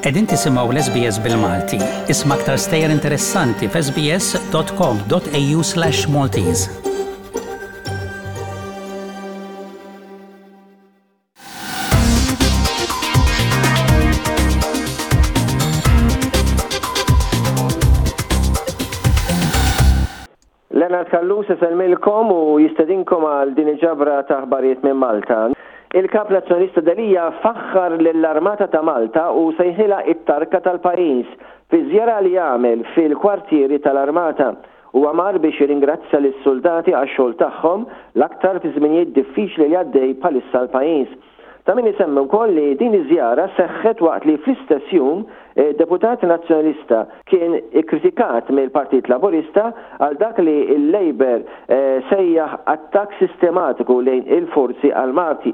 Qegħdin tisimgħu l-SBS bil-Malti. Isma' aktar stejjer interessanti f'sbs.com.au/maltese. Leonard Callus isellmilkom u jistedinkom għal din il-ġabra ta' aħbarijiet minn Malta. Il-Kap Nazzjonalista Delia faħħar lill-Armata ta' Malta u sejħilha it-tarka tal-pajjiż fi żjara li għamel fil-kwartieri tal-Armata. Huwa mar biex jirringrazzja lis-suldati għax-xogħol tagħhom, l-aktar fi żminijiet diffiċli li għaddej bħalissa l-pajjiż. Ta' min isemmi wkoll li din iż-żjara seħħet waqt li fl-istess jum deputat Nazzjonalista kien ikkritikat mill-Partit Laburista għal dak li l-Labour sejjaħ attakk sistematiku lejn il-Forzi Armati.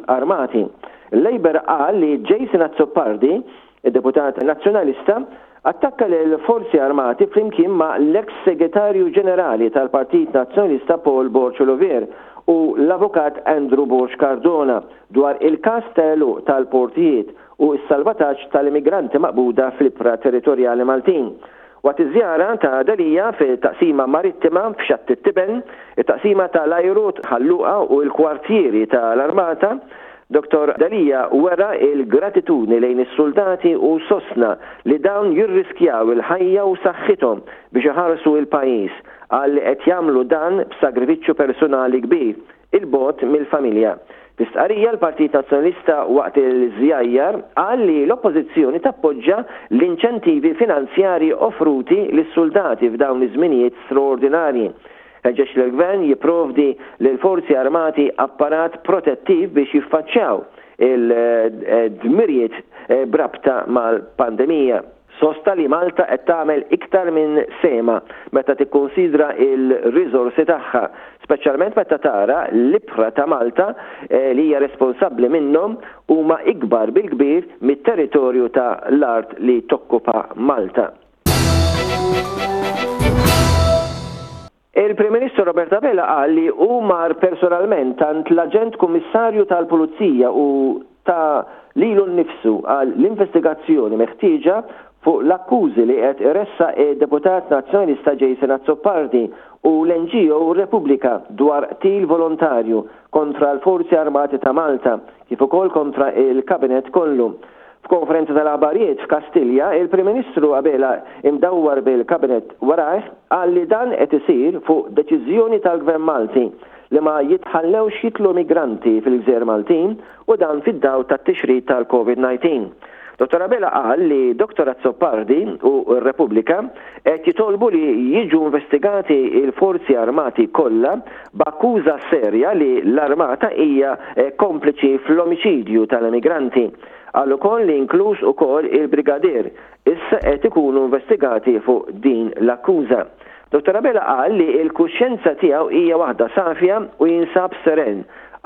Il-Labour qal li Jason Azzopardi, Id-deputat Nazzjonalista attakka lill-Forzi Armati flimkien ma' l-eks Segretarju Ġenerali tal-Partit Nazzjonalista Paul Borg Olivier u l-Avukat Andrew Borg Cardona dwar il-każ ta' għeluq tal-portijiet u s-salvataġġ tal-immigranti maqbuda fl-ibħra territorjali Maltin. Waqt iż-żjara ta' Delia fit-Taqsima Marittima f'Xatt it-Tiben, it-Taqsima ta' l-Ajru Ħal Luqa u l-kwartieri ta' l-Armata, Dottor Delia wera l-gratitudni lejn is-suldati u sostna li dawn jirriskjaw il-ħajja u saħħithom biex iħarsu l-pajjiż. Qal li qed jagħmlu dan b'sagrifiċċju personali kbir. 'il bogħod mill-familja. Fi stqarrija l-Partit Nazzjonalista waqt il-żjajjar qal li l-Oppożizzjoni tappoġġa l-inċentivi finanzjarji offruti lis-suldati f'dawn iż-żminijiet straordinarji. Ħeġġeġ lill-Gvern jipprovdi lill-Forzi Armati apparat protettiv biex jiffaċċjaw il-dmirijiet b'rabta mal-pandemija. Sostna li Malta qed tagħmel iktar minn sehemha meta tikkunsidra l-riżorsi tagħha, speċjalment meta tara l-ibħra ta' Malta li hija responsabbli minnhom huma ikbar bil-kbir mit-territorju ta' l-art li tokkupa Malta. Il-Prim Ministru Robert Abela qal li hu mar personalment għand l-Aġent Kummissarju tal-Pulizija u ta lilu nnifsu għal l-investigazzjoni meħtieġa fuq l-akkużi li qed iressaq id-Deputat Nazzjonalista Jason Azzopardi u l-NGO Repubblika dwar qtil volontarju kontra l-Forzi Armati ta' Malta kif ukoll kontra il-Kabinett kollu. F'konferenza tal-aħbarijiet f'Kastilja, il-Prim Ministru Abela imdawwar bil-Kabinett warajh qal li dan qed isir fuq deċiżjoni tal-Gvern Malti li ma jitħallewx jidħlu migranti fil-gżejjer Maltin u dan fid-dawl tat-tixrid tal-Covid 19. Dottor Abela qal li Dottor Azzopardi u r-Repubblika qed jitolbu li jiġu investigati l-Forzi Armati kollha b'akkuża serja li l-Armata hija kompliċi fl-omiċidju tal-emigranti. Qal ukoll li inkluż ukoll il-Brigadier issa qed ikunu investigati fuq din l-akkuża. Dottor Abela qal li l-kuxjenza tiegħu hija waħda safja u jinsab seren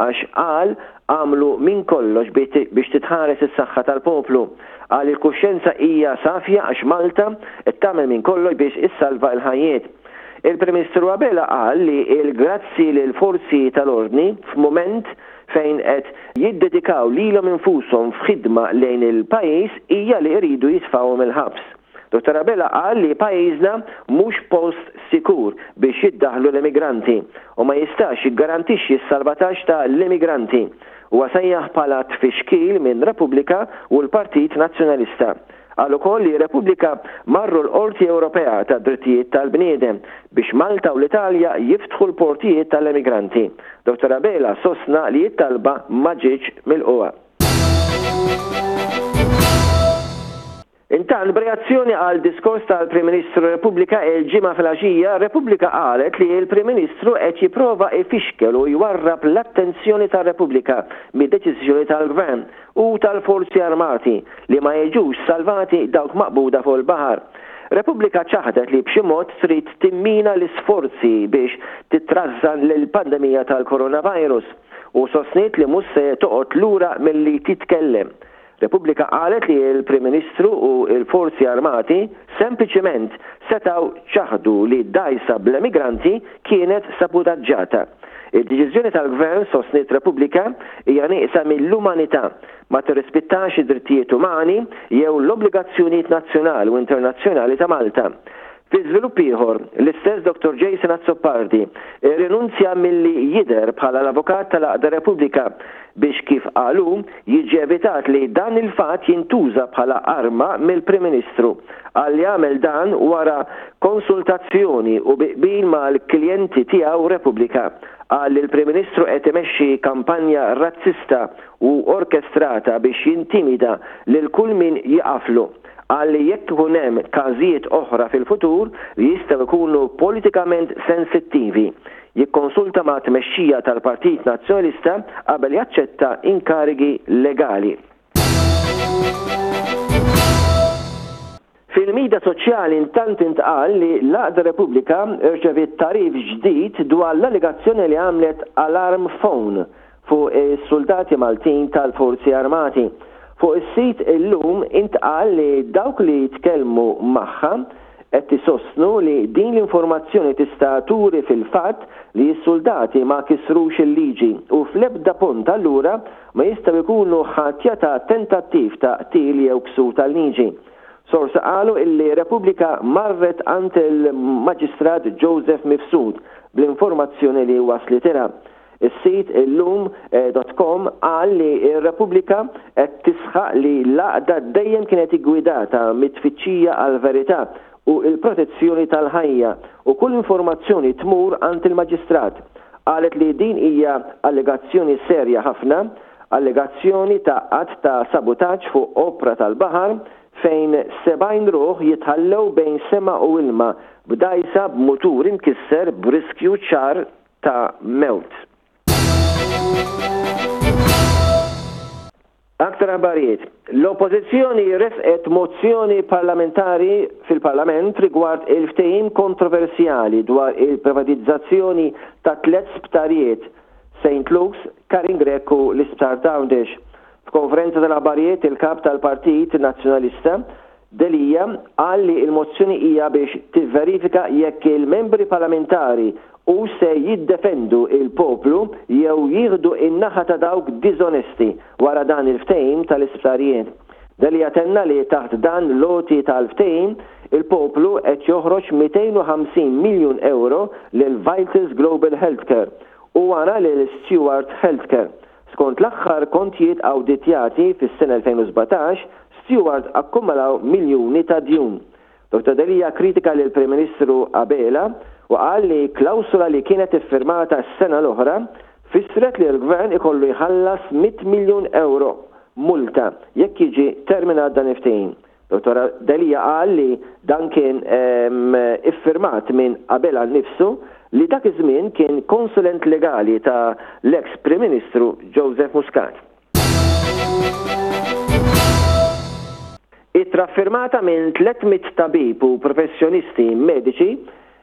għax qal għamlu minn kollox biex titħares is-saħħa tal-poplu. Qal li l-kuxjenza hija safja għax Malta qed tagħmel minn kollox biex issalva l-ħajjiet. Il-Prim Ministru Abela qal li l-grazzi lill-forzi tal-ordni f'mument fejn qed jiddedikaw lilhom infushom f'ħidma lejn il-pajjiż hija li jridu jitfgħuhom il-ħabs. Dottor Abela qal li pajjiżna mhux post sikur biex jiddaħħlu l-immigranti u ma jistax jiggarantixxi s-salvataġġ ta' l-immigranti. Huwa sejjaħ bħala tfixkil minn Repubblika u l-Partit Nazzjonalista. Qal ukoll li Repubblika marru l-Qorti Ewropea tad-Drittijiet tal-Bniedem biex Malta u l-Italja jiftħu l-portijiet tal-emigranti. Dottor Abela sostna li t-talba ma ġietx milqugħa. Intant, b'reazzjoni għal diskors tal-Prim Ministru Repubblika il-Ġimgħa filgħaxija, Repubblika qalet li l-Prim Ministru qed jipprova jfixkel u jwarrab l-attenzjoni tar-Repubblika mid-deċiżjoni tal-Gvern u tal-Forzi Armati li ma jiġux salvati dawk maqbuda fuq il-baħar. Repubblika ċaħdet li b'xi mod trid timmina l-isforzi biex titrażżan l-pandemija tal-coronavirus u sostniet li mhux se toqgħod lura milli titkellem. Repubblika qalet li l-Prim Ministru u l-Forzi Armati sempliċiment setgħu ċaħdu li dgħajsa bl-emigranti kienet sabutaġġata. Id-deċiżjoni tal-Gvern, sostniet Repubblika, hija nieqsa mill-umanità, ma tirrispittax id-drittijiet umani jew l-obbligazzjonijiet nazzjonali u internazzjonali ta' Malta. Fi żvilupp ieħor, l-istess Dottor Jason Azzopardi rrinunzja milli jidher bħala l-avukat tal-għaqda Repubblika biex kif qal hu, jiġi evitat li dan il-fatt jintuża bħala arma mill-Prim Ministru. Qal li għamel dan wara konsultazzjoni u bi qbil mal-klijenti tiegħu Repubblika. Qal li l-Prim Ministru qed imexxi kampanja razzista u orkestrata biex jintimida lil kull min jiqaflu. Qal li jekk ikun hemm każijiet oħra fil-futur li jistgħu jkunu politikament sensittivi, jikkonsulta ma' tmexxija tal-Partit Nazzjonalista qabel jaċċetta inkarigi legali. Fil-midja soċjali intant intqal li l-Għaqda Repubblika rċeviet tagħrif ġdid dwar l-allegazzjoni li għamlet alarm phone fuq is-suldati Maltin tal-Forzi Armati. Fuq is-sit Illum intqal li dawk li tkellmu magħha qed isostnu li din l-informazzjoni tista' turi fil-fatt li s-suldati ma kisrux il-liġi u fl-ebda punt allura ma jistgħu jkunu ħatja ta' tentattiv ta' qtil jew ksur tal-liġi. Sorsi qalu illi Repubblika marret għand il-Maġistrat Joseph Mifsud bl-informazzjoni li waslitilha. Is-sit illum dot com qal li r-Repubblika qed tisħaq li l-għaqda dejjem kienet iggwidata mit-tfittxija għall-verità u l-protezzjoni tal-ħajja u kull informazzjoni tmur għand il-Maġistrat. Qalet li din hija allegazzjoni serja ħafna, allegazzjoni ta' att ta' sabutaġġ fuq opra tal-baħar fejn 70 ruħ jitħallew bejn sema u ilma b'dgħajsa b'mutur imkisser b'riskju ċar ta' mewt. Aktar aħbarijiet. L-Oppożizzjoni ressqet mozzjoni parlamentari fil-Parlament rigward il-ftehim kontroversjali dwar il-privatizzazzjoni ta' tlett sptarijiet, St Luke's, Karin Grech u l-Isptar t'Għawdex. F'konferenza tal-aħbarijiet il-Kap tal-Partit Nazzjonalista, Delia qal li l-mozzjoni hija biex tivverifika jekk il-membri parlamentari hux se jiddefendu l-poplu jew jieħdu n-naħa ta' dawk diżonesti wara dan il-ftehim tal-isptarijiet. Delia tenna li taħt dan l-għoti tal-ftehim, il-poplu qed joħroġ 250 miljun ewro lil Vitals Global Healthcare u wara lil Steward Healthcare. Skont l-aħħar kontjiet awditjati fis-sena 2017, Steward akkumulaw miljuni ta' djun. Dottor Delia kkritika lill-Prim Ministru Abela u qal li klawsola li kienet iffirmata s-sena l-oħra fissret li l-Gvern ikollu jħallas mitt miljun ewro multa jekk jiġi terminat dan il-ftehim. Dottor Delia qal li dan kien iffirmat minn Abela nnifsu li dak iż-żmien kien konsulent legali ta' l-eks Prim Ministru Joseph Muscat. Ittra ffirmata minn 300 tabib u professjonisti mediċi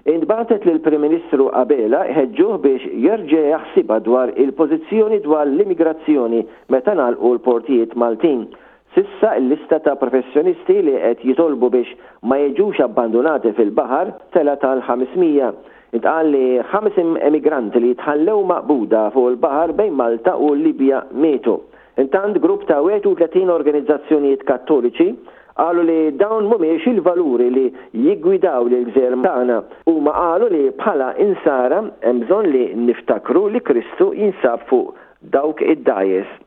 intbagħtet lill-Prim Ministru Abela jħeġġuh biex jerġa' jaħsibha dwar il-pożizzjoni dwar l-immigrazzjoni meta ngħalqu l-portijiet Maltin. S'issa l-lista ta' professjonisti li qed jitolbu biex ma jiġux abbandunati fil-baħar telgħet għal 500. Intqal li ħames emigranti li tħallew maqbuda fuq il-baħar bejn Malta u l-Libja mietu. Intant grupp ta' 31 organizzazzjonijiet Kattoliċi qalu li dawn mhumiex il-valuri li jiggwidaw lill-gżejjer tagħna. Huma qalu li bħala Insara hemm bżonn li niftakru li Kristu jinsab fuq dawk id-dgħajjes.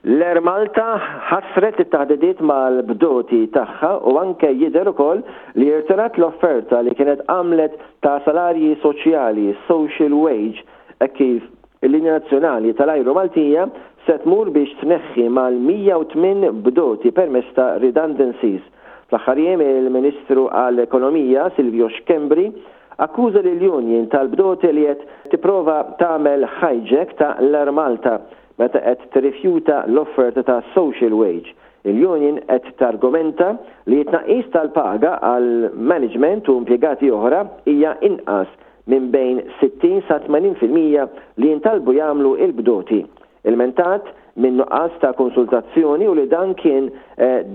L-Air Malta ħassret it-taħdidiet mal-bdoti tagħha u anke jidher ukoll li irtirat l-offerta li kienet għamlet ta' salarji soċjali, social wage, hekk kif il-linja nazzjonali tal-ajru Maltija se tmur biex tneħħi mal-108 bdoti permezz ta' redundancies. Fl-aħħar jiem il-Ministru għall-Ekonomija Silvio Schembri Akkuża lill-union tal-bdoti li qed tipprova tagħmel hijack ta' l-Air Malta meta qed tirrifjuta l-offerta ta' social wage. Il-union qed targumenta li t-tnaqqis tal-paga għal management u impjegati oħra hija inqas minn bejn 60 sa 80% li jintalbu jagħmlu l-bdoti. Ilmentat minn nuqqas ta' konsultazzjoni u li dan kien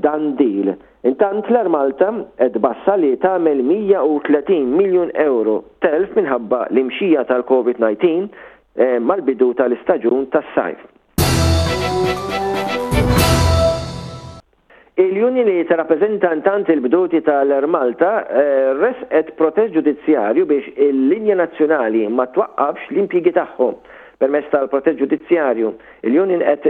done deal. Intant l-Air Malta qed tbassar li tagħmel 130 miljun ewro telf minħabba l-imxija tal-Covid 19 mal-bidu tal-istaġun tas-sajf. Il-union li tirrappreżenta intant il-bdoti tal-Air Malta ressqet protest ġudizzjarju biex il-linja nazzjonali ma twaqqafx l-impjiegi tagħhom. Permezz tal-protest ġudizzjarju, il-union qed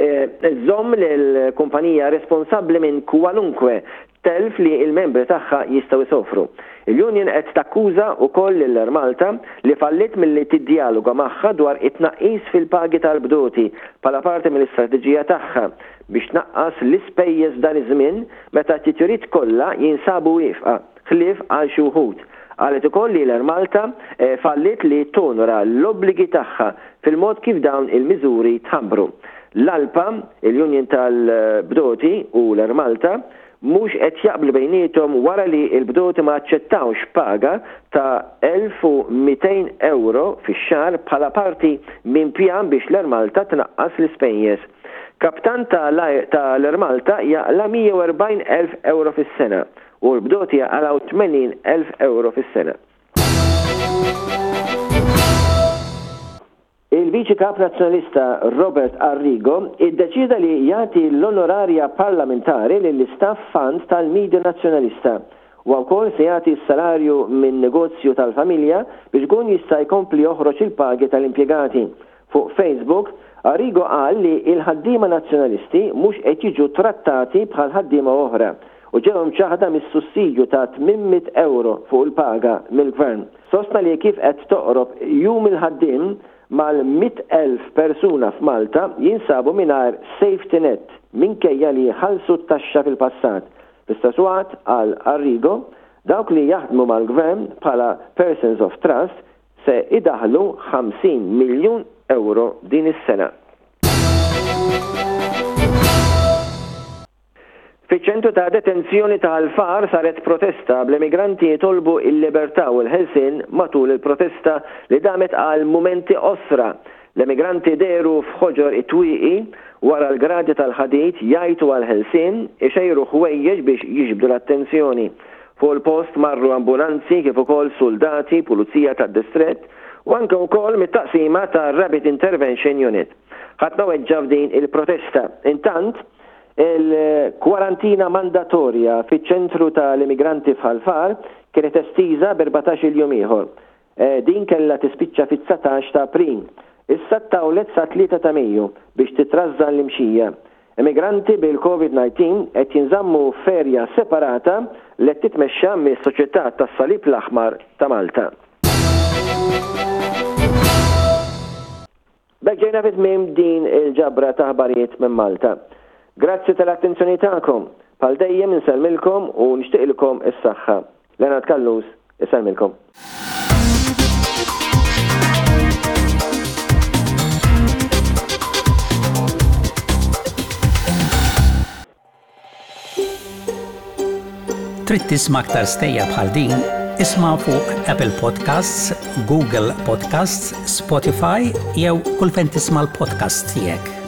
iżżomm lill-kumpanija responsabbli minn kwalunkwe telf li l-membri tagħha jistgħu jsofru. Il-union qed takkuża wkoll lil Air Malta li falliet milli tiddjaloga magħha dwar it-tnaqqis fil-pagi tal-bdoti bħala parti mill-istrateġija tagħha biex tnaqqas l-ispejjeż f'dan iż-żmien meta t-titjiriet kollha jinsabu wieqfa, ħlief għal xi wħud. Qalet ukoll li l-Air Malta falliet li tonora l-obbligi tagħha fil-mod kif dawn il-miżuri tħabbru. L-ALPA, il-Union tal-Bdoti u l-Air Malta mhux qed jaqblu bejniethom wara li l-bdoti ma aċċettawx paga ta' 1,200 ewro fix-xahar bħala parti minn pjan biex l-Air Malta tnaqqas l-ispejjeż. Kaptan ta' l-Air Malta jaqla' 140,000 ewro fis-sena u l-bdoti jaqalgħu 80,000 ewro fis-sena. Il-Viċi Kap Nazzjonalista Robert Arrigo iddeċieda li jagħti l-onorarja parlamentari lill-istaff fund tal-media Nazzjonalista. Huwa wkoll se jagħti s-salarju minn negozju tal-familja biex ikun jista' jkompli joħroġ il-pagi tal-impjegati. Fuq Facebook, Arrigo qal li l-ħaddiema Nazzjonalisti mhux qed jiġu trattati bħal ħaddiema oħra u ġew imċaħħda mis-sussidju ta' 800 ewro fuq il-paga mill-Gvern. Sostna li kif qed toqrob Jum il-Ħaddiem, mal-100,000 persuna f'Malta jinsabu mingħajr safety net minkejja li ħallsu t-taxxa fil-passat. Fl-istess waqt, qal Arrigo, dawk li jaħdmu mal-Gvern bħala persons of trust se idaħħlu 50 miljun ewro din is-sena. Fiċ-ċentru ta' detenzjoni ta' Ħal Far saret protesta bl-emigranti jitolbu l-libertà u l-ħelsien matul il-protesta li damet għal mumenti qosra. L-emigranti dehru f'ħoġor it-twieqi wara l-gradi tal-ħadid jgħajtu għall-ħelsien, ixejru ħwejjeġ biex jiġbdu l-attenzjoni. Fuq il-post marru ambulanzi kif ukoll suldati, pulizija tad-distrett u anke wkoll mit-taqsima tar-Rapid Intervention Unit. Ħadd ma weġġa' f'din il-protesta. Intant, Il-kwarantina mandatorja fiċ-ċentru tal-immigranti f'Ħal Far kienet estiża b'erbatax-il jum ieħor. Din kellha tispiċċa fit-dsatax ta' April. Issa ttawlet sat-tlieta ta' Mejju biex titrażżan l-imxija. Immigranti bil-Covid 19 qed jinżammu f'erja separata li qed titmexxa mis-Soċjetà tas-Salib l-Aħmar ta' Malta. B'hekk ġejna fi tmiem din il-ġabra ta' aħbarijiet minn Malta. Grazzi tal-attenzjoni tagħkom. Bħal dejjem insellmilkom u nixtieqilkom is-saħħa. Leonard Callus isellmilkom. Trid tisma' aktar stejjer bħal din? Isma' fuq Apple Podcasts, Google Podcasts, Spotify jew kull fejn tisma' l-podcasts tiegħek.